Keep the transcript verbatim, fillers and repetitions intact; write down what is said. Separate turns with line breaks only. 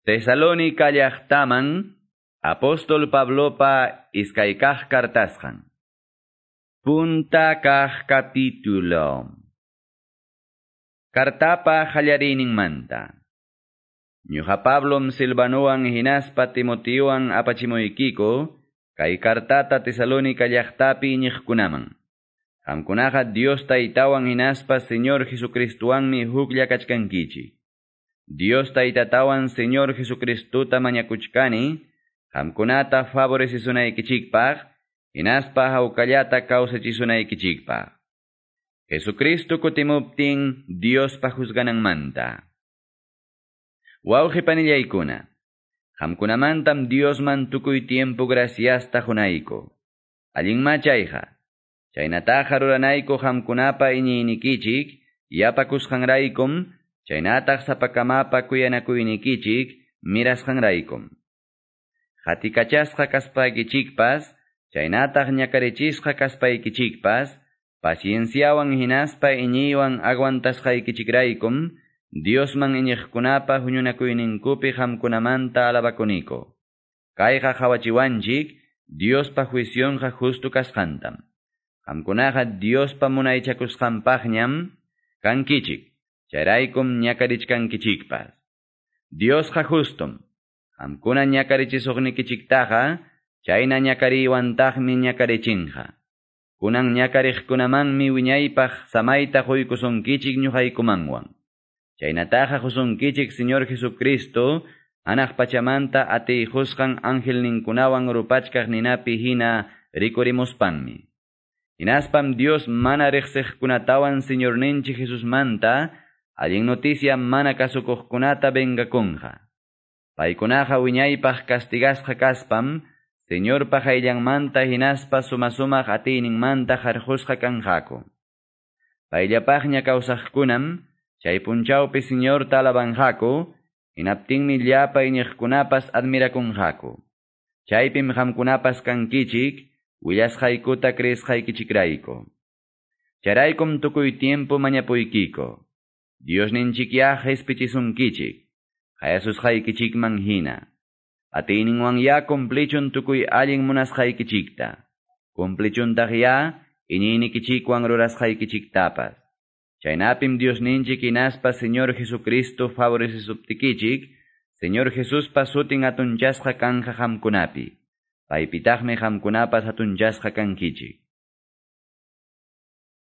Tesalónica llaqtaman Apóstol Pablopa iskay kaq kartasqan. Punta kaq capítulo. Kartapa qallariyninmanta. Ñuqa Pablom Silvanowan hinaspa Timoteowan apachimuykiko kay kartata Tesalónica llaqtapi iñiqkunaman. Qamkunaqa Dios Taytawan hinaspa Señor Jesucristowanmi huklla kachkankichik. Dios Taytatawan Señor Jesucristota mañakuchkani, qamkunata favorecisunaykichikpaq, hinaspa hawkallata kawsachisunaykichikpaq. Jesucristo kutimuptin Diospa juzgananmanta. Wawqi panillaykuna, qamkunamantam Diosman tukuy tiempo graciasta qunayku. Allinmá chayqa, chaynataqa ruranayku qamkunapa iñiynikichik, yapakusqanraykum, chaynataq sapakamapa kuyanakuynikichik mirasqanraykum. Qatikachasqa kaspaykichikpas, chaynataq ñakarichisqa kaspaykichikpas, pacienciawan hinaspa iñiywan aguantasqaykichikraykum, Diosman iñiqkunapa huñunakuyninkupi qamkunamanta alabakuniko. Kayqa qawachiwanchik Diospa juicionqa justo kasqantam. Qamkunaqa Diospa munaychakusqanpaqñam kankichik, chayraykum ñakarichkankichikpas. Diosqa justum. Qamkuna ñakarichisuqnikichiktaqa, chayna ñakariywantaqmi ñakarichinqa. Kunan ñakariqkunamanmi wiñaypaq samayta quykusunkichik ñuqaykumanwan. Chaynataqa qusunkichik Señor Jesucristo, hanaq pachamanta atiyqusqan angelninkunawan rupachkaq ninapi hina rikurimuspanmi. Hinaspam Dios mana riqsiqkunatawan Señorninchik Jesusmanta, allin noticia mana kasukuqkunata vengakunqa. Paykunaqa wiñaypaq castigasqa kaspam, Señorpa qayllanmanta hinaspa suma-sumaq atiyninmanta qarqusqa kanqaku. Payllapaqña kawsaqkunam, chay punchawpi Señorta alabanqaku, hinaptinmi llapa iñiqkunapas admirakunqaku. Chaypim qamkunapas kankichik, willasqaykuta creesqaykichikrayku. Chayraykum tukuy tiempo mañapuykiko. Diosninchikyá qespichisunkichik, qayasusqaykichikman hina. Atiyninwan ya cumplichun tukuy allin munasqaykichikta. Cumplichuntaq ya iñiynikichikwan rurasqaykichiktapas. Chaynapim Diosninchik hinaspa Señor Jesucristo favorecesuptikichik, Señor Jesuspa sutin hatunchasqa kanja qamkunapi. Paypitaqmi qamkunapas hatunchasqa kankichik.